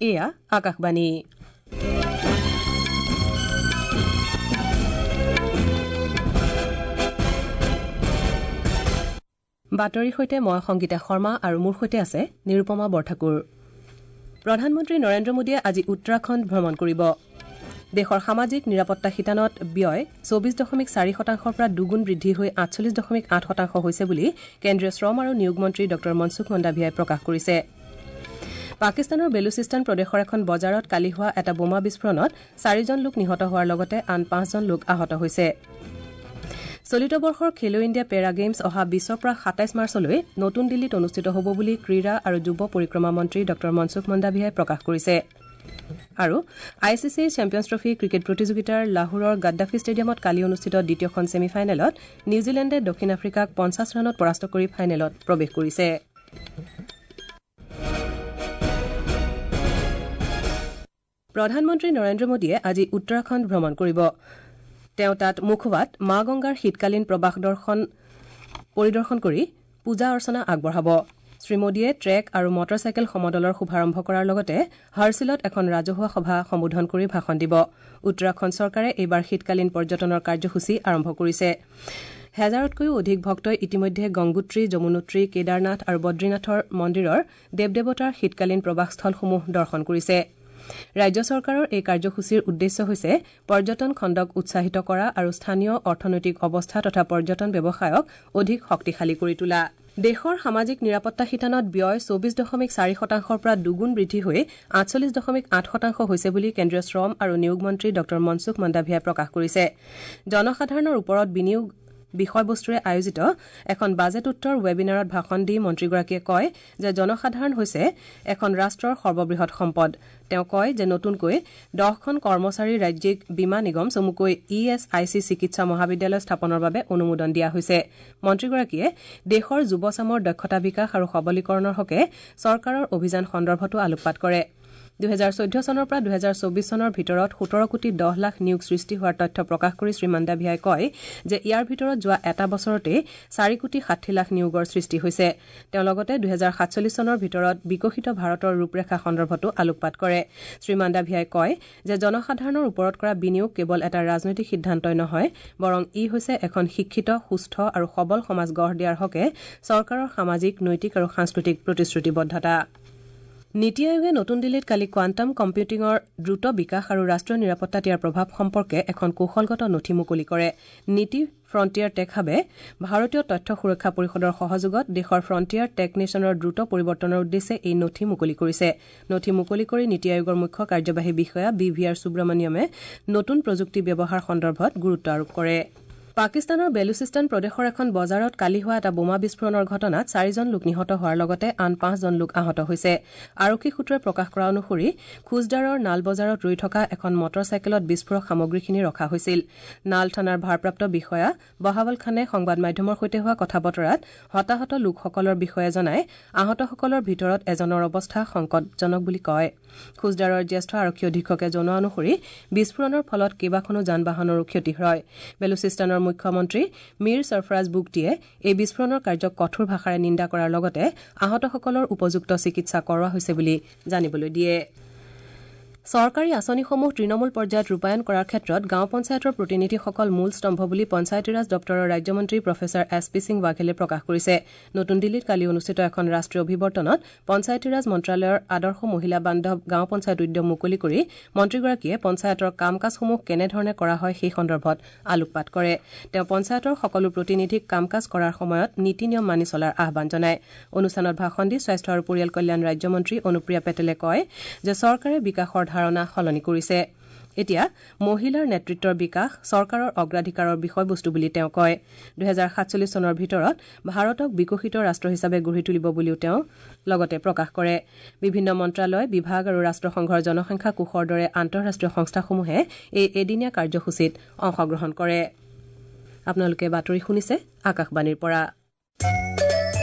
এয়া আকাশবাণী। বাতৰিৰ সৈতে মই সংগীতা শৰ্মা আৰু মোৰ সৈতে আছে নিৰুপমা বৰঠাকুৰ। প্ৰধানমন্ত্ৰী নৰেন্দ্ৰ মোদীয়ে আজি উত্তৰাখণ্ড ভ্ৰমণ কৰিব। দেশৰ সামাজিক নিৰাপত্তা শিতানত ব্যয় 24.4 শতাংশৰ পৰা দুগুণ বৃদ্ধি হৈ 48.8 শতাংশ হৈছে বুলি কেন্দ্ৰীয় শ্ৰম আৰু নিয়োগ মন্ত্ৰী ডঃ মনসুখ মন্দাভিয়াই প্ৰকাশ কৰিছে। পাকিস্তানৰ বেলুচিস্তান প্ৰদেশৰ এখন বজাৰত কালি হোৱা এটা বোমা বিস্ফোৰণত 4জন লোক নিহত হোৱাৰ লগতে আন 5জন লোক আহত হৈছে। চলিত বৰ্ষৰ খেলো ইণ্ডিয়া পেৰা গেমছ অহা 20ৰ পৰা 27 মাৰ্চলৈ নতুন দিল্লীত অনুষ্ঠিত হ'ব বুলি ক্ৰীড়া আৰু যুৱ পৰিক্ৰমা মন্ত্ৰী ডঃ মনসুখ মন্দাভিয়াই প্ৰকাশ কৰিছে। আৰু I C C champions trophy cricket প্ৰতিযোগিতাৰ লাহোৰৰ গাদ্দাফি ষ্টেডিয়ামত কালি অনুষ্ঠিত দ্বিতীয়খন ছেমিফাইনেলত নিউজিলেণ্ডে দক্ষিণ আফ্ৰিকাক 50 ৰানত পৰাস্ত কৰি ফাইনেলত প্ৰৱেশ কৰিছে। প্ৰধানমন্ত্ৰী নৰেন্দ্ৰ মোদীয়ে আজি উত্তৰাখণ্ড ভ্ৰমণ কৰিব। তেওঁ তাত মুখৱাত মা গংগাৰ শীতকালীন প্ৰৱাহ দৰ্শন পৰিদৰ্শন কৰি পূজা অৰ্চনা আগবঢ়াব। শ্ৰীমোদীয়ে ট্ৰেক আৰু মটৰচাইকেল সমদলৰ শুভাৰম্ভ কৰাৰ লগতে হাৰ্চিলত এখন ৰাজহুৱা সভা সম্বোধন কৰি ভাষণ দিব। উত্তৰাখণ্ড চৰকাৰে এইবাৰ শীতকালীন পৰ্যটনৰ কাৰ্যসূচী আৰম্ভ কৰিছে। হেজাৰতকৈও অধিক ভক্তই ইতিমধ্যে গংগোত্ৰী, যমুনোত্ৰী, কেদাৰনাথ আৰু বদ্ৰীনাথৰ মন্দিৰৰ দেৱ দেৱতাৰ শীতকালীন প্ৰৱাহস্থলসমূহ দৰ্শন কৰিছে। ৰাজ্য চৰকাৰৰ এই কাৰ্যসূচীৰ উদ্দেশ্য হৈছে পৰ্যটন খণ্ডক উৎসাহিত কৰা আৰু স্থানীয় অৰ্থনৈতিক অৱস্থা তথা পৰ্যটন ব্যৱসায়ক অধিক শক্তিশালী কৰি তোলা। দেশৰ সামাজিক নিৰাপত্তা শিতানত ব্যয় 24.4 শতাংশৰ পৰা দুগুণ বৃদ্ধি হৈ 48.8 শতাংশ হৈছে বুলি কেন্দ্ৰীয় শ্ৰম আৰু নিয়োগ মন্ত্ৰী ডঃ মনসুখ মন্দাভিয়াই প্ৰকাশ কৰিছে। জনসাধাৰণৰ ওপৰত বিনিয়োগ বিষয়বস্তুৰে আয়োজিত এখন বাজেট উত্তৰ ৱেবিনাৰত ভাষণ দি মন্ত্ৰীগৰাকীয়ে কয় যে জনসাধাৰণ হৈছে এখন ৰাষ্ট্ৰৰ সৰ্ববৃহৎ সম্পদ। তেওঁ কয় যে নতুনকৈ 10খন কৰ্মচাৰী ৰাজ্যিক বীমা নিগম চমুকৈ ই এছ I C চিকিৎসা মহাবিদ্যালয় স্থাপনৰ বাবে অনুমোদন দিয়া হৈছে। মন্ত্ৰীগৰাকীয়ে দেশৰ যুৱচামৰ দক্ষতা বিকাশ আৰু সবলীকৰণৰ হকে চৰকাৰৰ অভিযান সন্দৰ্ভতো আলোকপাত কৰে। 2014 চনৰ পৰা 2024 চনৰ ভিতৰত 17 কোটি 10 লাখ নিয়োগ সৃষ্টি হোৱাৰ তথ্য প্ৰকাশ কৰি শ্ৰীমন্দাভিয়াই কয় যে ইয়াৰ ভিতৰত যোৱা এটা বছৰতেই 4 কোটি 60 লাখ নিয়োগৰ সৃষ্টি হৈছে। তেওঁ লগতে 2047 চনৰ ভিতৰত বিকশিত ভাৰতৰ ৰূপৰেখা সন্দৰ্ভতো আলোকপাত কৰে। শ্ৰীমন্দাভিয়াই কয় যে জনসাধাৰণৰ ওপৰত কৰা বিনিয়োগ কেৱল এটা ৰাজনৈতিক সিদ্ধান্তই নহয়, বৰং ই হৈছে এখন শিক্ষিত, সুস্থ আৰু সবল সমাজ গঢ় দিয়াৰ হকে চৰকাৰৰ সামাজিক, নৈতিক আৰু সাংস্কৃতিক প্ৰতিশ্ৰুতিবদ্ধতা। নীতি আয়োগে নতুন দিল্লীত কালি কোৱাণ্টাম কম্পিউটিঙৰ দ্ৰুত বিকাশ আৰু ৰাষ্ট্ৰীয় নিৰাপত্তাত ইয়াৰ প্ৰভাৱ সম্পৰ্কে এখন কৌশলগত নথি মুকলি কৰে। নীতি ফ্ৰণ্টিয়াৰ টেক হাবে ভাৰতীয় তথ্য সুৰক্ষা পৰিষদৰ সহযোগত দেশৰ ফ্ৰণ্টিয়াৰ টেক নেশ্যনৰ দ্ৰুত পৰিৱৰ্তনৰ উদ্দেশ্যে এই নথি মুকলি কৰিছে। নথি মুকলি কৰি নীতি আয়োগৰ মুখ্য কাৰ্যবাহী বিষয়া বি ভি আৰ সুব্ৰমণিয়মে নতুন প্ৰযুক্তি ব্যৱহাৰ সন্দৰ্ভত গুৰুত্ব আৰোপ কৰে। পাকিস্তানৰ বেলুচিস্তান প্ৰদেশৰ এখন বজাৰত কালি হোৱা এটা বোমা বিস্ফোৰণৰ ঘটনাত 4জন লোক নিহত হোৱাৰ লগতে আন 5জন লোক আহত হৈছে। আৰক্ষী সূত্ৰই প্ৰকাশ কৰা অনুসৰি খুজদাৰৰ নাল বজাৰত ৰৈ থকা এখন মটৰচাইকেলত বিস্ফোৰক সামগ্ৰীখিনি ৰখা হৈছিল। নাল থানাৰ ভাৰপ্ৰাপ্ত বিষয়া বহাৱল খানে সংবাদ মাধ্যমৰ সৈতে হোৱা কথা বতৰাত হতাহত লোকসকলৰ বিষয়ে জনাই আহতসকলৰ ভিতৰত এজনৰ অৱস্থা সংকটজনক বুলি কয়। খুজদাৰৰ জ্যেষ্ঠ আৰক্ষী অধীক্ষকে জনোৱা অনুসৰি বিস্ফোৰণৰ ফলত কেইবাখনো যান বাহনৰো ক্ষতি হয়। বেলুচিস্তানৰ মুখ্যমন্ত্ৰী মীৰ ছৰফৰাজ বুগটিয়ে এই বিস্ফোৰণৰ কাৰ্যক কঠোৰ ভাষাৰে নিন্দা কৰাৰ লগতে আহতসকলৰ উপযুক্ত চিকিৎসা কৰোৱা হৈছে বুলি জানিবলৈ দিয়ে। চৰকাৰী আঁচনিসমূহ তৃণমূল পৰ্যায়ত ৰূপায়ণ কৰাৰ ক্ষেত্ৰত গাঁও পঞ্চায়তৰ প্ৰতিনিধিসকল মূল স্তম্ভ বুলি পঞ্চায়তীৰাজ দপ্তৰৰ ৰাজ্যমন্ত্ৰী প্ৰফেচাৰ এছ পি সিং ৱাঘেলে প্ৰকাশ কৰিছে। নতুন দিল্লীত কালি অনুষ্ঠিত এখন ৰাষ্ট্ৰীয় অভিৱৰ্তনত পঞ্চায়তীৰাজ মন্ত্ৰালয়ৰ আদৰ্শ মহিলা বান্ধৱ গাঁও পঞ্চায়ত উদ্যম মুকলি কৰি মন্ত্ৰীগৰাকীয়ে পঞ্চায়তৰ কাম কাজসমূহ কেনেধৰণে কৰা হয় সেই সন্দৰ্ভত আলোকপাত কৰে। তেওঁ পঞ্চায়তৰ সকলো প্ৰতিনিধিক কাম কাজ কৰাৰ সময়ত নীতি নিয়ম মানি চলাৰ আহ্বান জনায়। অনুষ্ঠানত ভাষণ দি স্বাস্থ্য আৰু পৰিয়াল কল্যাণ ৰাজ্যমন্ত্ৰী অনুপ্ৰিয়া পেটেলে কয় যে চৰকাৰে বিকাশৰ ধাৰণা সলনি কৰিছে। এতিয়া মহিলাৰ নেতৃত্বৰ বিকাশ চৰকাৰৰ অগ্ৰাধিকাৰৰ বিষয়বস্তু বুলি তেওঁ কয়। 2047 চনৰ ভিতৰত ভাৰতক বিকশিত ৰাষ্ট্ৰ হিচাপে গঢ়ি তুলিব বুলিও তেওঁ লগতে প্ৰকাশ কৰে। বিভিন্ন মন্ত্ৰালয়, বিভাগ আৰু ৰাষ্ট্ৰসংঘৰ জনসংখ্যা কোষৰ দৰে আন্তঃৰাষ্ট্ৰীয় সংস্থাসমূহে এই এদিনীয়া কাৰ্যসূচীত অংশগ্ৰহণ কৰে। আপোনালোকে বাতৰি শুনিছে আকাশবাণীৰ পৰা।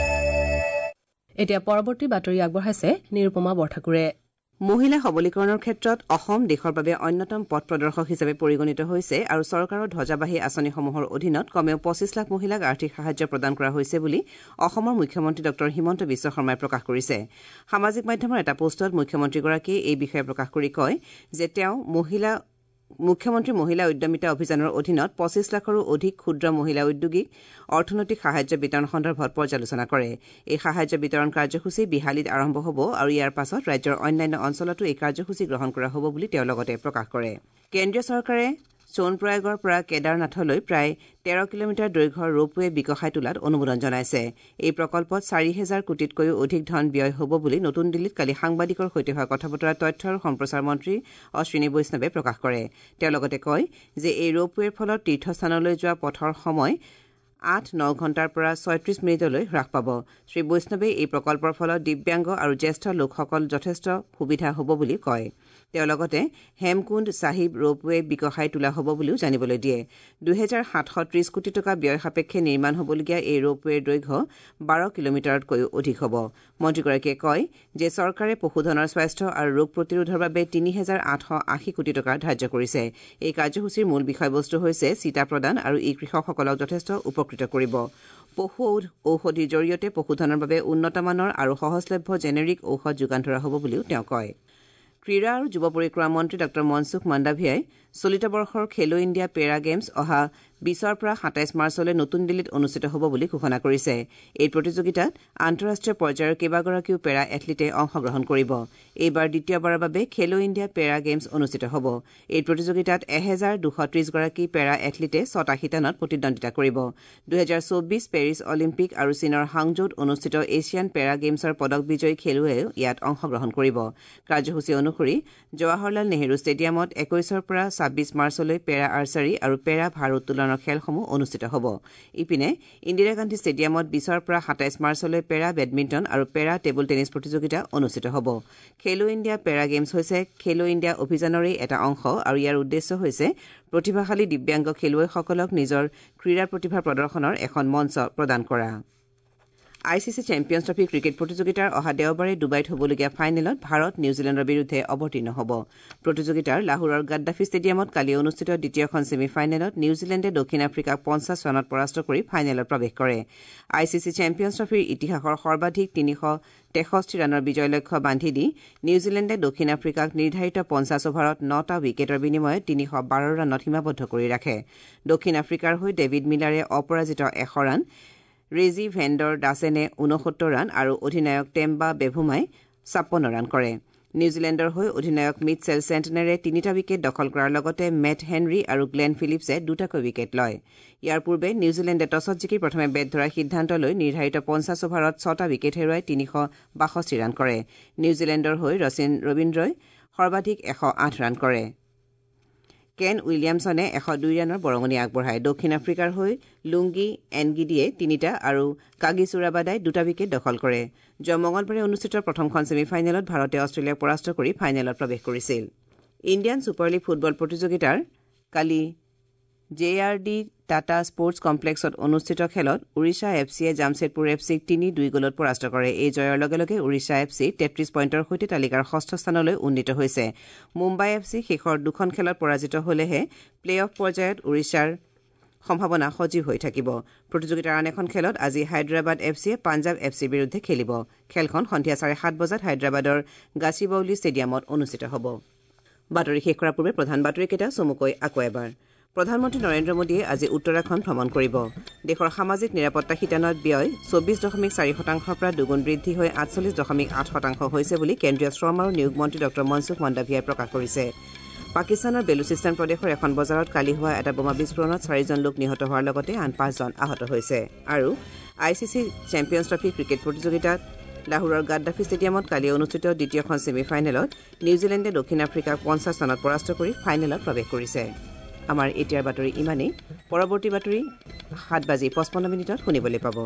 এতিয়া পৰৱৰ্তী বাতৰি আগবঢ়াইছে নিৰুপমা বৰঠাকুৰে। মহিলা সবলীকৰণৰ ক্ষেত্ৰত অসম দেশৰ বাবে অন্যতম পথ প্ৰদৰ্শক হিচাপে পৰিগণিত হৈছে আৰু চৰকাৰৰ ধ্বজাবাহী আঁচনিসমূহৰ অধীনত কমেও ২৫ লাখ মহিলাক আৰ্থিক সাহায্য প্ৰদান কৰা হৈছে বুলি অসমৰ মুখ্যমন্ত্ৰী ডঃ হিমন্ত বিশ্ব শৰ্মাই প্ৰকাশ কৰিছে। সামাজিক মাধ্যমৰ এটা পোষ্টত মুখ্যমন্ত্ৰীগৰাকীয়ে এই বিষয়ে প্ৰকাশ কৰি কয় যে তেওঁ মুখ্যমন্ত্ৰী মহিলা উদ্যমিতা অভিযানৰ অধীনত ২৫ লাখৰো অধিক ক্ষুদ্ৰ মহিলা উদ্যোগীক অৰ্থনৈতিক সাহায্য বিতৰণ সন্দৰ্ভত পৰ্যালোচনা কৰে। এই সাহায্য বিতৰণ কাৰ্যসূচী বিহালীত আৰম্ভ হ'ব আৰু ইয়াৰ পাছত ৰাজ্যৰ অন্যান্য অঞ্চলতো এই কাৰ্যসূচী গ্ৰহণ কৰা হ'ব বুলি তেওঁ লগতে প্ৰকাশ কৰে। কেন্দ্ৰীয় চৰকাৰে সোণপ্ৰয়াগৰ পৰা কেদাৰনাথলৈ প্ৰায় ১৩ কিলোমিটাৰ দৈৰ্ঘ্যৰ ৰোপৱে বিকশাই তোলাত অনুমোদন জনাইছে। এই প্ৰকল্পত ৪,০০০ কোটিতকৈও অধিক ধন ব্যয় হ'ব বুলি নতুন দিল্লীত কালি সাংবাদিকৰ সৈতে হোৱা কথা বতৰাত তথ্য আৰু সম্প্ৰচাৰ মন্ত্ৰী অশ্বিনী বৈষ্ণৱে প্ৰকাশ কৰে। তেওঁ লগতে কয় যে এই ৰোপৱেৰ ফলত তীৰ্থস্থানলৈ যোৱা পথৰ সময় ৮-৯ ঘণ্টাৰ পৰা ৩৬ মিনিটলৈ হ্ৰাস পাব। শ্ৰী বৈষ্ণৱে এই প্ৰকল্পৰ ফলত দিব্যাংগ আৰু জ্যেষ্ঠ লোকসকল যথেষ্ট সুবিধা হ'ব বুলি কয়। তেওঁ লগতে হেমকুণ্ড চাহিব ৰোপৱে বিকশাই তোলা হ'ব বুলিও জানিবলৈ দিয়ে। ২৭৩০ কোটি টকা ব্যয় সাপেক্ষে নিৰ্মাণ হ'বলগীয়া এই ৰোপৱেৰ দৈৰ্ঘ্য ১২ কিলোমিটাৰতকৈও অধিক হ'ব। মন্ত্ৰীগৰাকীয়ে কয় যে চৰকাৰে পশুধনৰ স্বাস্থ্য আৰু ৰোগ প্ৰতিৰোধৰ বাবে ৩৮৮০ কোটি টকা ধাৰ্য কৰিছে। এই কাৰ্যসূচীৰ মূল বিষয়বস্তু হৈছে চিতা প্ৰদান আৰু ই কৃষকসকলক যথেষ্ট উপকৃত কৰিব। পশু ঔষধিৰ জৰিয়তে পশুধনৰ বাবে উন্নতমানৰ আৰু সহজলভ্য জেনেৰিক ঔষধ যোগান ধৰা হ'ব বুলিও তেওঁ কয়। ক্ৰীড়া আৰু যুৱ পৰিক্ৰমা মন্ত্ৰী ডঃ মনসুখ মাণ্ডাভিয়াই চলিত বৰ্ষৰ খেলো ইণ্ডিয়া পেৰা গেমছ অহা ২০ৰ পৰা ২৭ মাৰ্চলৈ নতুন দিল্লীত অনুষ্ঠিত হ'ব বুলি ঘোষণা কৰিছে। এই প্ৰতিযোগিতাত আন্তঃৰাষ্ট্ৰীয় পৰ্যায়ৰ কেইবাগৰাকীও পেৰা এথলীটে অংশগ্ৰহণ কৰিব। এইবাৰ দ্বিতীয়বাৰৰ বাবে খেলো ইণ্ডিয়া পেৰা গেমছ অনুষ্ঠিত হ'ব। এই প্ৰতিযোগিতাত ১২৩০ গৰাকী পেৰা এথলীটে ৬টা শিতানত প্ৰতিদ্বন্দ্বিতা কৰিব। ২০২৪ পেৰিছ অলিম্পিক আৰু চীনৰ হাংজৌত অনুষ্ঠিত এছিয়ান পেৰা গেমছৰ পদক বিজয়ী খেলুৱৈয়েও ইয়াত অংশগ্ৰহণ কৰিব। কাৰ্যসূচী অনুসৰি জৱাহৰলাল নেহৰু ষ্টেডিয়ামত ২১ৰ পৰা ২৬ মাৰ্চলৈ পেৰা আৰ্চাৰী আৰু পেৰা ভাৰ উত্তোলনৰ খেলসমূহ অনুষ্ঠিত হ'ব। ইপিনে ইন্দিৰা গান্ধী ষ্টেডিয়ামত ২০ৰ পৰা ২৭ মাৰ্চলৈ পেৰা বেডমিণ্টন আৰু পেৰা টেবুল টেনিছ প্ৰতিযোগিতা অনুষ্ঠিত হ'ব। খেলো ইণ্ডিয়া পেৰা গেমছ হৈছে খেলো ইণ্ডিয়া অভিযানৰেই এটা অংশ আৰু ইয়াৰ উদ্দেশ্য হৈছে প্ৰতিভাশালী দিব্যাংগ খেলুৱৈসকলক নিজৰ ক্ৰীড়া প্ৰতিভা প্ৰদৰ্শনৰ এখন মঞ্চ প্ৰদান কৰা। I C C Champions Trophy cricket প্ৰতিযোগিতাৰ অহা দেওবাৰে ডুবাইত হ'বলগীয়া ফাইনেলত ভাৰত নিউজিলেণ্ডৰ বিৰুদ্ধে অৱতীৰ্ণ হ'ব। প্ৰতিযোগিতাৰ লাহোৰৰ গাদ্দাফি ষ্টেডিয়ামত কালি অনুষ্ঠিত দ্বিতীয়খন ছেমি ফাইনেলত নিউজিলেণ্ডে দক্ষিণ আফ্ৰিকাক ৫০ ৰানত পৰাস্ত কৰি ফাইনেলত প্ৰৱেশ কৰে। I C C champions ট্ৰফীৰ ইতিহাসৰ সৰ্বাধিক ৩৬৩ ৰানৰ বিজয় লক্ষ্য বান্ধি দি নিউজিলেণ্ডে দক্ষিণ আফ্ৰিকাক নিৰ্ধাৰিত ৫০ অভাৰত ৯টা উইকেটৰ বিনিময়ত ৩১২ ৰানত সীমাবদ্ধ কৰি ৰাখে। দক্ষিণ আফ্ৰিকাৰ হৈ ডেভিড মিলাৰে অপৰাজিত ১০০ ৰান, ৰেজি ভেণ্ডৰ ডাছেনে ৬৯ ৰান আৰু অধিনায়ক টেম্বা বেভুমাই ৫৬ ৰান কৰে। নিউজিলেণ্ডৰ হৈ অধিনায়ক মিটছেল চেণ্টনেৰে ৩টা উইকেট দখল কৰাৰ লগতে মেট হেনৰী আৰু গ্লেন ফিলিপছে ২টাকৈ উইকেট লয়। ইয়াৰ পূৰ্বে নিউজিলেণ্ডে টছত জিকি প্ৰথমে বেট ধৰাৰ সিদ্ধান্ত লৈ নিৰ্ধাৰিত ৫০ অভাৰত ৬টা উইকেট হেৰুৱাই ৩৬২ ৰান কৰে। নিউজিলেণ্ডৰ হৈ ৰচিন ৰবীন্দ্ৰই সৰ্বাধিক ১০৮ ৰান কৰে। কেন উইলিয়ামছনে ১০২ ৰানৰ বৰঙণি আগবঢ়ায়। দক্ষিণ আফ্ৰিকাৰ হৈ লুংগি এনগিডিয়ে ৩টা আৰু কাগিছু ৰাবাডাই ২টা উইকেট দখল কৰে। যোৱা মঙলবাৰে অনুষ্ঠিত প্ৰথমখন ছেমি ফাইনেলত ভাৰতে অষ্ট্ৰেলিয়াক পৰাস্ত কৰি ফাইনেলত প্ৰৱেশ কৰিছিল। ইণ্ডিয়ান ছুপাৰ লীগ ফুটবল প্ৰতিযোগিতাৰ কালি J R D Tata sports কমপ্লেক্সত অনুষ্ঠিত খেলত ওড়িশা এফ চিয়ে জামছেদপুৰ এফ চিক ৩-২ গ'লত পৰাস্ত কৰে। এই জয়ৰ লগে লগে ওড়িশা এফ চি ৩৩ পইণ্টৰ সৈতে তালিকাৰ ষষ্ঠ স্থানলৈ উন্নীত হৈছে। মুম্বাই এফ চি শেষৰ দুখন খেলত পৰাজিত হ'লেহে প্লে অফ পৰ্যায়ত ওড়িশাৰ সম্ভাৱনা সজীৱ হৈ থাকিব। প্ৰতিযোগিতাৰ আন এখন খেলত আজি হায়দৰাবাদ এফ চিয়ে পাঞ্জাৱ এফ চিৰ বিৰুদ্ধে খেলিব। খেলখন সন্ধিয়া 7:30 বজাত হায়দৰাবাদৰ গাছিবাউলি ষ্টেডিয়ামত অনুষ্ঠিত হ'ব। বাতৰি শেষ কৰাৰ পূৰ্বে প্ৰধান বাতৰিকেইটা চমুকৈ আকৌ এবাৰ। প্ৰধানমন্ত্ৰী নৰেন্দ্ৰ মোদীয়ে আজি উত্তৰাখণ্ড ভ্ৰমণ কৰিব। দেশৰ সামাজিক নিৰাপত্তা শিতানত ব্যয় ২৪.৪% পৰা দুগুণ বৃদ্ধি হৈ ৪৮.৮% হৈছে বুলি কেন্দ্ৰীয় শ্ৰম আৰু নিয়োগ মন্ত্ৰী ডঃ মনসুখ মাণ্ডাভিয়াই প্ৰকাশ কৰিছে। পাকিস্তানৰ বেলুচিস্তান প্ৰদেশৰ এখন বজাৰত কালি হোৱা এটা বোমা বিস্ফোৰণত ৪জন লোক নিহত হোৱাৰ লগতে আন ৫জন আহত হৈছে। আৰু I C C Champions Trophy cricket প্ৰতিযোগিতাত লাহোৰৰ গাদ্দাফি ষ্টেডিয়ামত কালি অনুষ্ঠিত দ্বিতীয়খন ছেমি ফাইনেলত নিউজিলেণ্ডে দক্ষিণ আফ্ৰিকাক ৫০ ৰানত পৰাস্ত কৰি ফাইনেলত প্ৰৱেশ কৰিছে। আমাৰ এতিয়াৰ বাতৰি ইমানেই। পৰৱৰ্তী বাতৰি ৭:৫৫ শুনিবলৈ পাব।